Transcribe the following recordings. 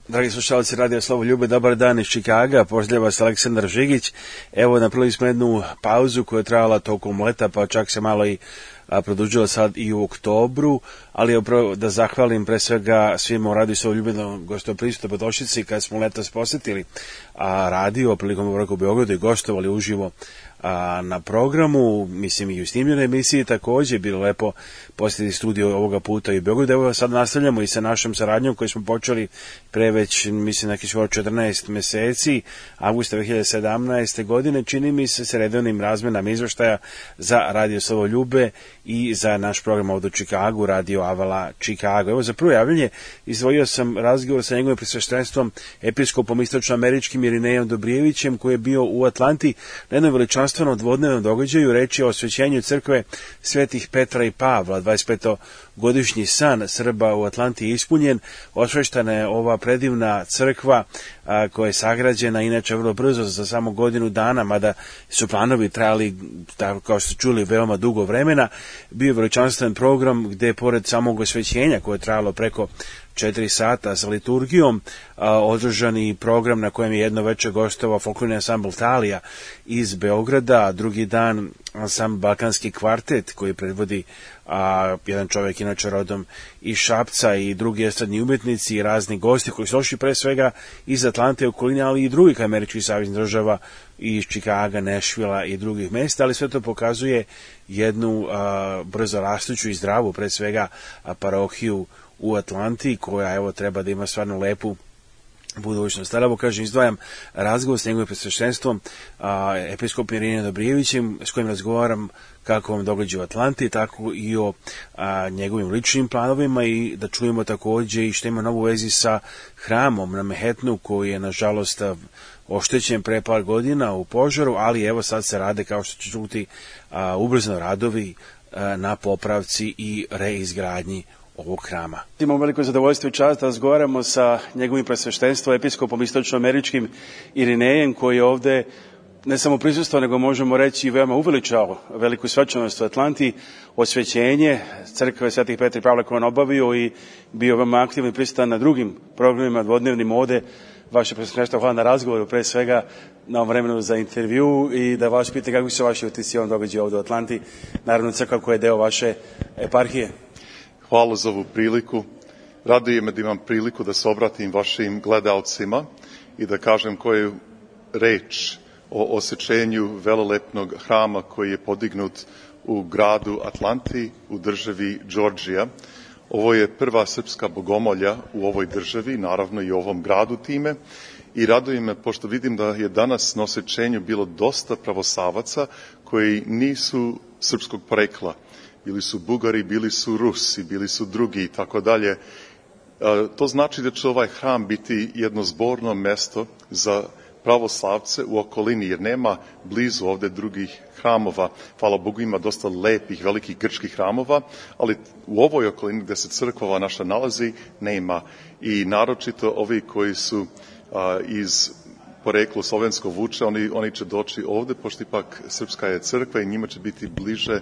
Dragi slušalci Radio Slovo Ljube, dobar dan iz Čikaga, pozdravlja vas Aleksandar Žigić. Evo, napravili smo jednu pauzu koja je trajala tokom leta, pa čak se malo i produžila sad i u oktobru, ali upravo da zahvalim pre svega svima u Radio Slovo Ljube na gostoprimstvu Podošici kad smo letos posetili radio prilikom boravka u Beogradu i gostovali uživo na programu, mislim i u snimljenoj emisiji takođe, bilo lepo posjetiti studio ovoga puta i u Beogradu. Evo sad nastavljamo i sa našom saradnjom koju smo počeli pre već, mislim, neki skoro 14 meseci, avgusta 2017. godine, čini mi se, sa redovnim razmenama izveštaja za Radio Slovo Ljube i za naš program ovdje u Čikagu, Radio Avala Čikago. Evo, za prvo javljanje izdvojio sam razgovor sa njegovim presveštenstvom episkopom istočnoameričkim Irinejom Dobrijevićem, koji je bio u Atlanti na jednom veličanstvenom dvodnevnom događaju. Reč je o osvećenju crkve svetih Petra i Pavla. 25-godišnji san Srba u Atlanti je ispunjen. Osveštana je ova predivna crkva koja je sagrađena inače vrlo brzo, za samo godinu dana, mada su planovi trajali, kao što ste čuli, veoma dugo vremena. Bio je veličanstven program gde, pored samog osvećenja koje je trajalo preko 4 sata sa liturgijom, održani program na kojem je jedno veče gostovao folklorni ansambl Talija iz Beograda, drugi dan ansambl Balkanski kvartet koji predvodi jedan čovjek inače rodom iz Šapca i drugi estradni umetnici i razni gosti koji su došli pre svega iz Atlante, okoline, ali i drugih američkih saveznih država, iz Čikaga, Nešvila i drugih mesta, ali sve to pokazuje jednu brzo rastuću i zdravu pre svega parohiju u Atlanti, koja evo treba da ima stvarno lepu budućnost. Ali evo, kažem, izdvajam razgovor s njegovim presveštenstvom episkopom Irinejom Dobrijevićem, s kojim razgovaram kako vam događa u Atlanti, tako i o njegovim ličnim planovima, i da čujemo takođe i što ima novu vezi sa hramom na Manhattanu, koji je nažalost oštećen pre par godina u požaru, ali evo sad se rade, kao što će čuti, ubrzano radovi na popravci i reizgradnji ovog hrama. Imamo veliko zadovoljstvo i čast da razgovaramo sa njegovim presveštenstvom, episkopom istočnoameričkim Irinejem, koji je ovde ne samo prisustvo, nego možemo reći i veoma uveličao veliku svečanost u Atlanti, osvećenje crkve svetih Petra i Pavla koje on obavio, i bio veoma aktivno i prisutan na drugim programima dvodnevnim ovde. Vaše presveštenstvo, hvala na razgovoru, pre svega na ovom vremenu za intervju, i da vas pita kako su vaši utisci on događaju ovde u Atlanti, naravno crkva koja je deo vaše eparhije. Hvala za ovu priliku. Raduje me da imam priliku da se obratim vašim gledalcima i da kažem koju reč o osvećenju velelepnog hrama koji je podignut u gradu Atlanti u državi Georgija. Ovo je prva srpska bogomolja u ovoj državi, naravno i u ovom gradu time, i raduje me pošto vidim da je danas na osvećenju bilo dosta pravosavaca koji nisu srpskog porekla. Bili su Bugari, bili su Rusi, bili su drugi i tako dalje. To znači da će ovaj hram biti jedno zborno mesto za pravoslavce u okolini, jer nema blizu ovde drugih hramova. Hvala Bogu, ima dosta lepih, velikih grčkih hramova, ali u ovoj okolini gde se crkva naša nalazi nema. I naročito ovi koji su iz poreklo slovensko vuče, oni će doći ovde, pošto ipak srpska je crkva i njima će biti bliže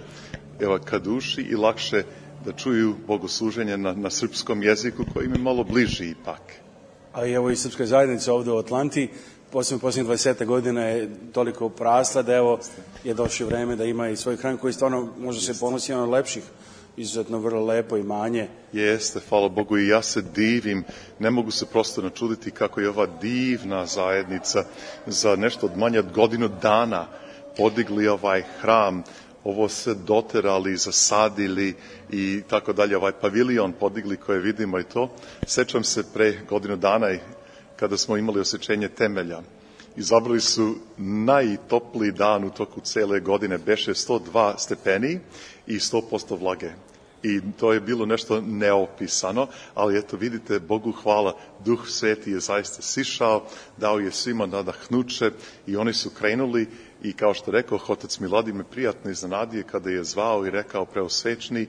ka duši i lakše da čuju bogosluženje na srpskom jeziku koji im je malo bliži ipak. A i evo i srpska zajednica ovde u Atlanti, posljednjih 20 godina je toliko prasla da evo je došlo vreme da ima i svoj hram koji stvarno može se ponosi od lepših, izuzetno vrlo lepo imanje. Jeste, hvala Bogu, i ja se divim, ne mogu se prosto načuditi kako je ova divna zajednica za nešto od manje od godinu dana podigli ovaj hram, ovo se doterali, zasadili i tako dalje, ovaj pavilion podigli koje vidimo i to. Sećam se pre godinu dana kada smo imali osvećenje temelja. Izabrali su najtopliji dan u toku cele godine, beše 102 stepeni i 100% vlage. I to je bilo nešto neopisano, ali eto vidite, Bogu hvala, Duh Sveti je zaista sišao, dao je svima nadahnuće i oni su krenuli. I kao što rekao, otac Miladi me prijatno iznenadio kada je zvao i rekao preosvećni,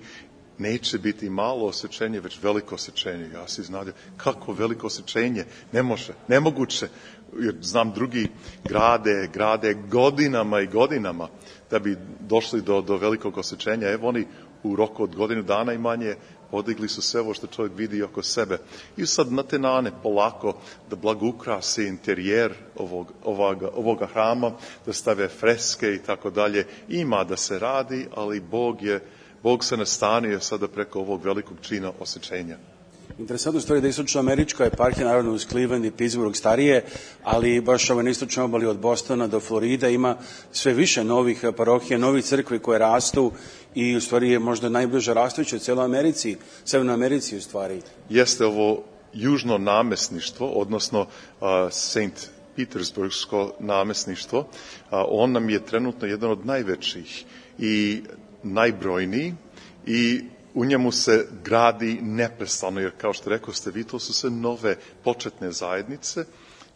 neće biti malo osvećenje, već veliko osvećenje. Ja se iznadio, kako veliko osvećenje? Ne može, nemoguće. Jer znam drugi grade godinama i godinama da bi došli do velikog osvećenja. Evo oni u roku od godinu dana i manje podigli su sve ovo što čovjek vidi oko sebe. I sad na te nane polako da blago ukrase interijer ovoga hrama, da stave freske i tako dalje. Ima da se radi, ali Bog se nastanio sada preko ovog velikog čina osjećenja. Interesantna stvar je da istočnoamerička eparhija, naravno uz Cleveland i Pittsburgh starije, ali baš na istočnoj obali od Bostona do Floride ima sve više novih parohija, novih crkvi koje rastu i u stvari je možda najbliže rastuće u cijeloj Americi, Severnoj Americi u stvari. Jeste ovo južno namesništvo, odnosno St. Petersburgsko namesništvo, on nam je trenutno jedan od najvećih i najbrojniji i u njemu se gradi neprestano, jer kao što rekao ste vi, to su sve nove početne zajednice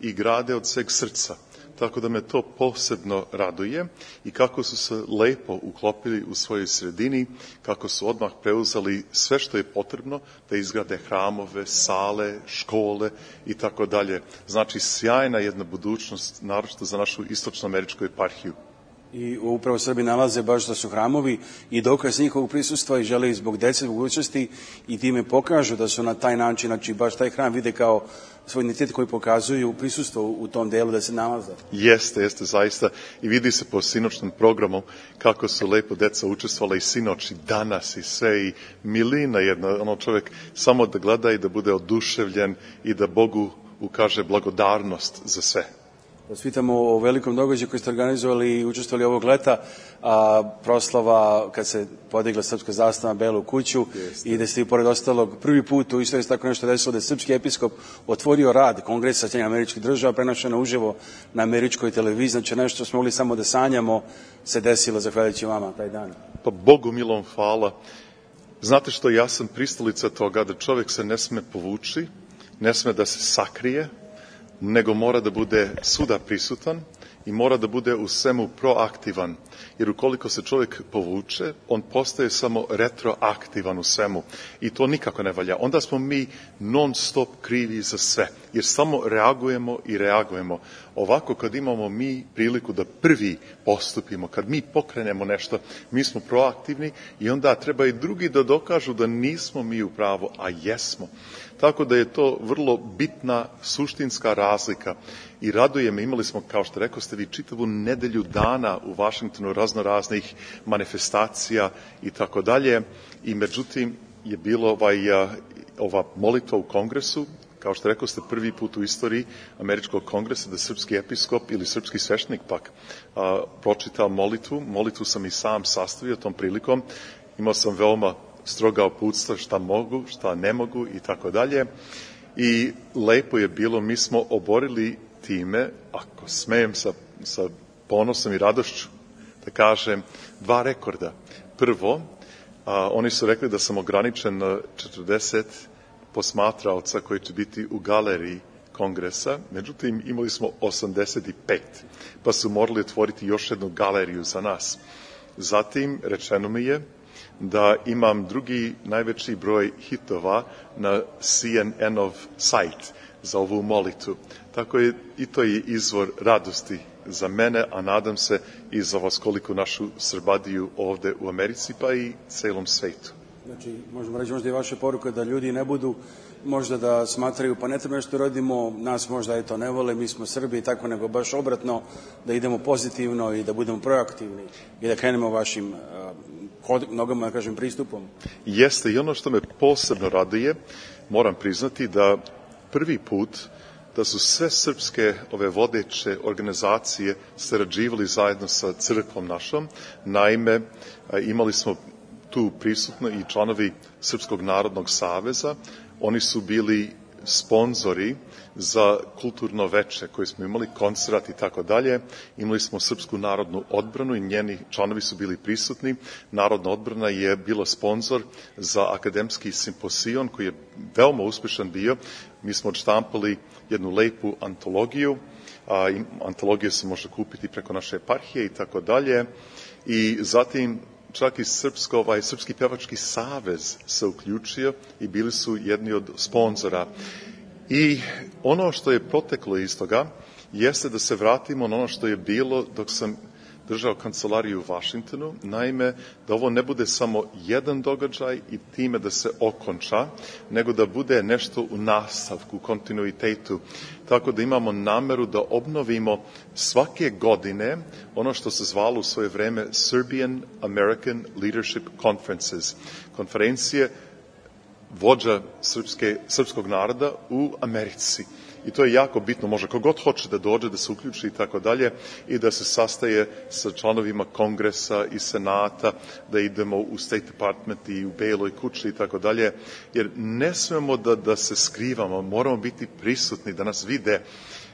i grade od sveg srca. Tako da me to posebno raduje i kako su se lepo uklopili u svojoj sredini, kako su odmah preuzeli sve što je potrebno da izgrade hramove, sale, škole i tako dalje. Znači, sjajna jedna budućnost, naročito za našu istočnoameričku eparhiju. I upravo Srbi nalaze baš da su hramovi i dokaz njihovog prisustva i žele zbog dece mogućnosti i time pokažu da su na taj način, znači baš taj hram vide kao svoj identitet koji pokazuju prisustvo u tom delu da se nalaze. Jeste zaista i vidi se po sinoćnom programu kako su lepo deca učestvovala i sinoć i danas i sve i milina jedna, čovjek samo da gleda i da bude oduševljen i da Bogu ukaže blagodarnost za sve. Svitamo o velikom događaju koji ste organizovali i učestvovali ovog leta, proslava kad se podigla srpska zastava na Belu kuću. Jeste. I da ste pored ostalog prvi put u istoriji tako nešto desilo da je srpski episkop otvorio rad Kongresa Sjedinjenih Američkih Država, prenošeno uživo na američkoj televiziji, znači nešto što smo mogli samo da sanjamo se desilo zahvaljujući vama taj dan. Pa Bogu milom hvala. Znate što, ja sam pristalica toga da čovjek se ne sme povući, ne sme da se sakrije, nego mora da bude svuda prisutan i mora da bude u svemu proaktivan. Jer ukoliko se čovjek povuče, on postaje samo retroaktivan u svemu. I to nikako ne valja. Onda smo mi non stop krivi za sve. Jer samo reagujemo. Ovako kad imamo mi priliku da prvi postupimo, kad mi pokrenemo nešto, mi smo proaktivni i onda treba i drugi da dokažu da nismo mi u pravu, a jesmo. Tako da je to vrlo bitna suštinska razlika i raduje me, imali smo, kao što rekao ste vi, čitavu nedelju dana u Vašingtonu raznoraznih manifestacija i tako dalje i međutim je bilo ova molitva u kongresu, kao što rekao ste, prvi put u istoriji američkog kongresa da srpski episkop ili srpski sveštenik pak pročita molitvu sam i sam sastavio tom prilikom, imao sam veoma stroga uputstva šta mogu, šta ne mogu i tako dalje. I lepo je bilo, mi smo oborili time, ako smijem sa ponosom i radošću da kažem, 2 rekorda. Prvo, oni su rekli da sam ograničen na 40 posmatraoca koji će biti u galeriji kongresa, međutim imali smo 85, pa su morali otvoriti još jednu galeriju za nas. Zatim rečeno mi je da imam drugi najveći broj hitova na CNN-ov sajt za ovu molitvu. Tako je i to je izvor radosti za mene, a nadam se i za vas koliko našu Srbadiju ovde u Americi, pa i celom svetu. Znači, možemo reći možda i vaša poruka da ljudi ne budu možda da smatraju pa ne treba nešto radimo, nas možda to ne vole, mi smo Srbi i tako, nego baš obratno da idemo pozitivno i da budemo proaktivni i da krenemo vašim nogama, da kažem, pristupom. Jeste, i ono što me posebno raduje, moram priznati da prvi put da su sve srpske ove vodeće organizacije sarađivali zajedno sa crkvom našom. Naime, imali smo tu prisutno i članovi Srpskog narodnog saveza. Oni su bili sponzori za kulturno veče koje smo imali, koncert i tako dalje. Imali smo Srpsku narodnu odbranu i njeni članovi su bili prisutni. Narodna odbrana je bila sponzor za akademski simposion koji je veoma uspešan bio. Mi smo odštampali jednu lepu antologiju. Antologiju se može kupiti preko naše eparhije i tako dalje. I zatim čak i Srpski pevački savez se uključio i bili su jedni od sponzora. I ono što je proteklo iz toga jeste da se vratimo na ono što je bilo dok sam držao kancelariju u Vašingtonu, naime da ovo ne bude samo jedan događaj i time da se okonča, nego da bude nešto u nastavku, u kontinuitetu. Tako da imamo nameru da obnovimo svake godine ono što se zvalo u svoje vreme Serbian American Leadership Conferences, konferencije vođa srpskog naroda u Americi. I to je jako bitno, može kogod hoće da dođe, da se uključi i tako dalje i da se sastaje sa članovima kongresa i senata, da idemo u State Department i u Beloj kući i tako dalje, jer ne smemo da se skrivamo, moramo biti prisutni, da nas vide,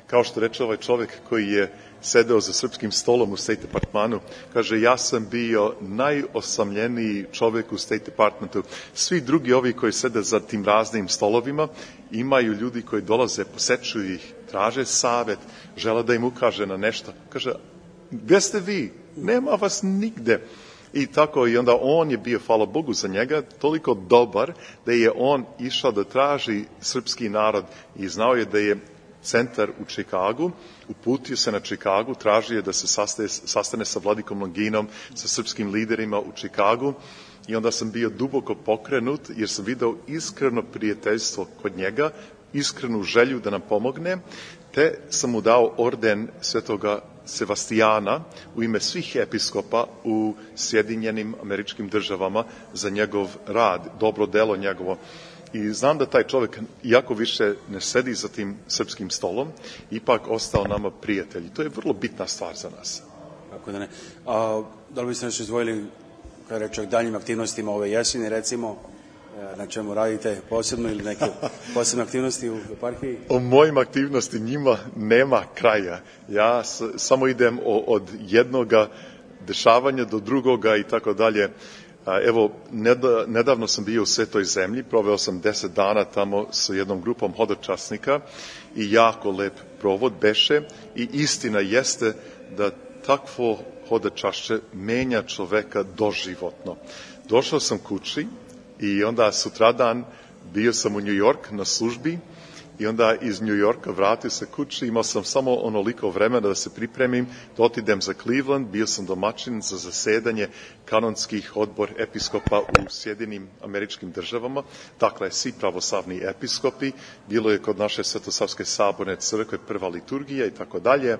kao što reče ovaj čovjek koji je sedeo za srpskim stolom u State Departmanu, kaže, ja sam bio najosamljeniji čovjek u State Departmentu. Svi drugi ovi koji sede za tim raznim stolovima imaju ljudi koji dolaze, posečuju ih, traže savjet, žele da im ukaže na nešto. Kaže, gdje ste vi? Nema vas nigde. I tako, i onda on je bio, hvala Bogu za njega, toliko dobar da je on išao da traži srpski narod i znao je da je centar u Čikagu, uputio se na Čikagu, tražio je da se sastane sa Vladikom Longinom, sa srpskim liderima u Čikagu i onda sam bio duboko pokrenut jer sam video iskreno prijateljstvo kod njega, iskrenu želju da nam pomogne, te sam mu dao orden Svetoga Sevastijana u ime svih episkopa u Sjedinjenim Američkim Državama za njegov rad, dobro delo njegovo. I znam da taj čovjek, iako više ne sedi za tim srpskim stolom, ipak ostao nama prijatelj. To je vrlo bitna stvar za nas. Kako da ne. Da li biste nešto izdvojili, kada reče o daljim aktivnostima ove jeseni, recimo, na čemu radite posebno ili neke posebne aktivnosti u eparhiji? O mojim aktivnosti njima nema kraja. Ja samo idem od jednoga dešavanja do drugoga i tako dalje. Evo, nedavno sam bio u Svetoj zemlji, proveo sam 10 dana tamo sa jednom grupom hodočasnika i jako lep provod beše i istina jeste da takvo hodočašće menja čoveka doživotno. Došao sam kući i onda sutradan bio sam u New York na službi i onda iz New Yorka vratio se kući, imao sam samo onoliko vremena da se pripremim, da otidem za Cleveland, bio sam domaćin za zasedanje kanonskih odbor episkopa u Sjedinim Američkim Državama, dakle svi pravoslavni episkopi, bilo je kod naše Svetosavske saborne crkve prva liturgija i tako dalje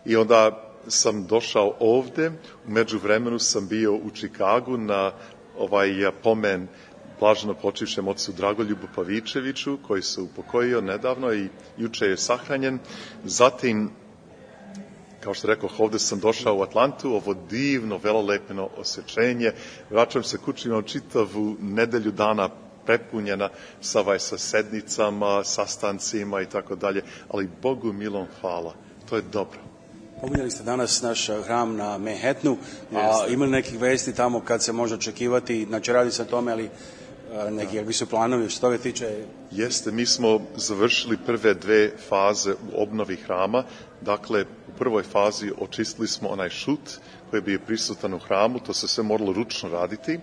i onda sam došao ovde, u međuvremenu sam bio u Čikagu na pomen blaženo počivšem ocu Dragoljubu Pavičeviću, koji se upokojio nedavno i juče je sahranjen. Zatim, kao što rekao, ovde sam došao u Atlantu, ovo divno, velelepno osjećenje. Vraćam se kući, imam čitavu nedelju dana prepunjena sa sednicama, sastancima i tako dalje, ali Bogu milom hvala. To je dobro. Pominjali ste danas naš hram na Manhattanu, a imali nekih vesti tamo kad se može očekivati, znači radi se o tome, ali neki kakvi su planovi što toga tiče? Jeste, mi smo završili prve 2 faze u obnovi hrama, dakle u prvoj fazi očistili smo onaj šut koji je bio prisutan u hramu, to se sve moralo ručno raditi,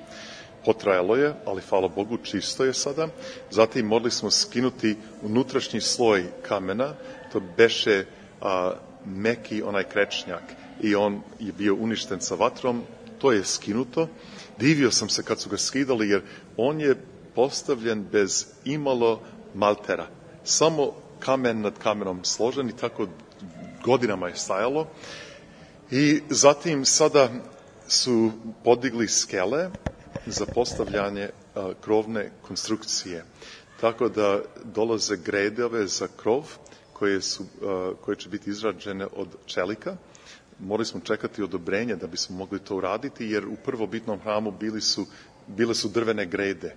potrajalo je, ali hvala Bogu čisto je sada. Zatim morali smo skinuti unutrašnji sloj kamena, to beše meki onaj krečnjak i on je bio uništen sa vatrom, to je skinuto. Divio sam se kad su ga skidali jer on je postavljen bez imalo maltera. Samo kamen nad kamenom složen i tako godinama je stajalo. I zatim sada su podigli skele za postavljanje krovne konstrukcije. Tako da dolaze gredove za krov koje će biti izrađene od čelika. Morali smo čekati odobrenje da bismo mogli to uraditi, jer u prvobitnom hramu bile su drvene grede.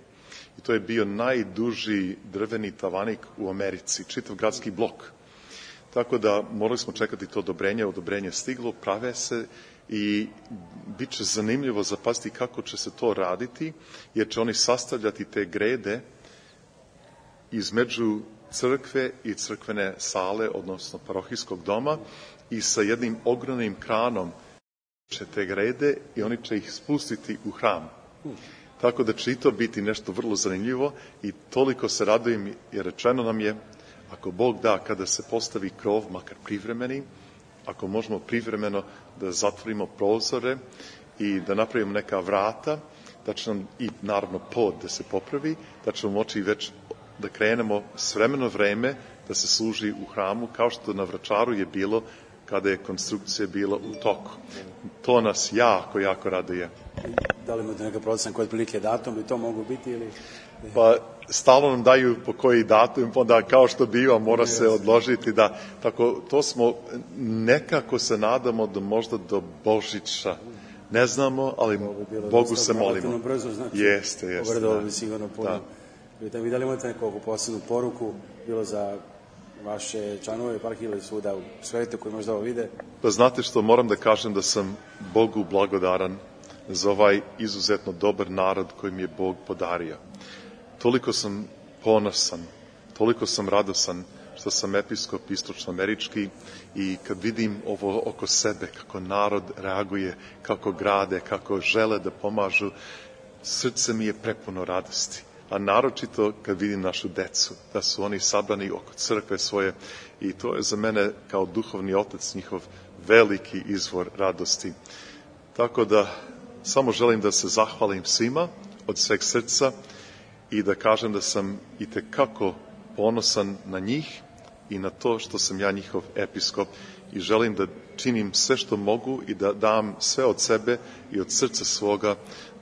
I to je bio najduži drveni tavanik u Americi, čitav gradski blok. Tako da morali smo čekati to odobrenje stiglo, prave se i bit će zanimljivo zapaziti kako će se to raditi, jer će oni sastavljati te grede između crkve i crkvene sale, odnosno parohijskog doma, i sa jednim ogromnim kranom će te grede i oni će ih spustiti u hram. Tako da će i to biti nešto vrlo zanimljivo i toliko se radujem jer rečeno nam je, ako Bog da, kada se postavi krov, makar privremeni, ako možemo privremeno da zatvorimo prozore i da napravimo neka vrata, da će nam i naravno pod da se popravi, da ćemo moći već da krenemo s vremeno vreme da se služi u hramu, kao što na Vračaru je bilo kada je konstrukcija bila u toku. To nas jako, jako raduje. Da li imate neka procena koji otprilike datum bi to mogu biti ili... Pa stalno nam daju po koji datum, onda kao što biva mora se odložiti, da tako to smo nekako se nadamo da možda do Božića. Ne znamo, ali Bogu se molimo. Brzo, znači, jeste. Obradovalo bi sigurno puno. Vi da li imate nekogu posebnu poruku, bilo za vaše članove eparhije ili svuda u svetu koji možda ovo vide? Pa znate što, moram da kažem da sam Bogu blagodaran za ovaj izuzetno dobar narod koji mi je Bog podario. Toliko sam ponosan, toliko sam radosan što sam episkop istočnoamerički i kad vidim ovo oko sebe, kako narod reaguje, kako grade, kako žele da pomažu, srce mi je prepuno radosti. A naročito kad vidim našu decu, da su oni sabrani oko crkve svoje i to je za mene kao duhovni otac njihov veliki izvor radosti. Tako da samo želim da se zahvalim svima od sveg srca i da kažem da sam itekako ponosan na njih i na to što sam ja njihov episkop i želim da činim sve što mogu i da dam sve od sebe i od srca svoga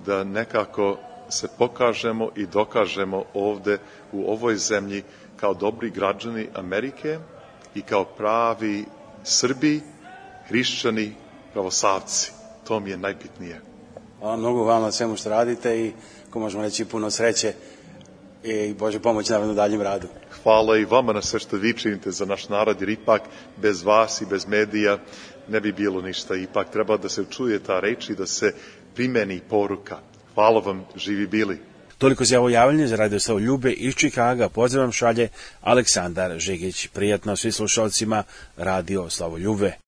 da nekako se pokažemo i dokažemo ovde u ovoj zemlji kao dobri građani Amerike i kao pravi Srbi, hrišćani, pravoslavci. To mi je najbitnije. Hvala mnogo vam na svemu što radite i, ko možemo reći, puno sreće i Bože pomoć naravno u daljem radu. Hvala i vama na sve što vi činite za naš narod, jer ipak bez vas i bez medija ne bi bilo ništa. Ipak treba da se čuje ta reč i da se primeni poruka. Hvala vam, živi bili. Toliko za ovo javljanje za Radio Slavu Ljube iz Čikaga. Pozdrav šalje Aleksandar Žigić. Prijatno svi slušalcima Radio Slavu Ljube.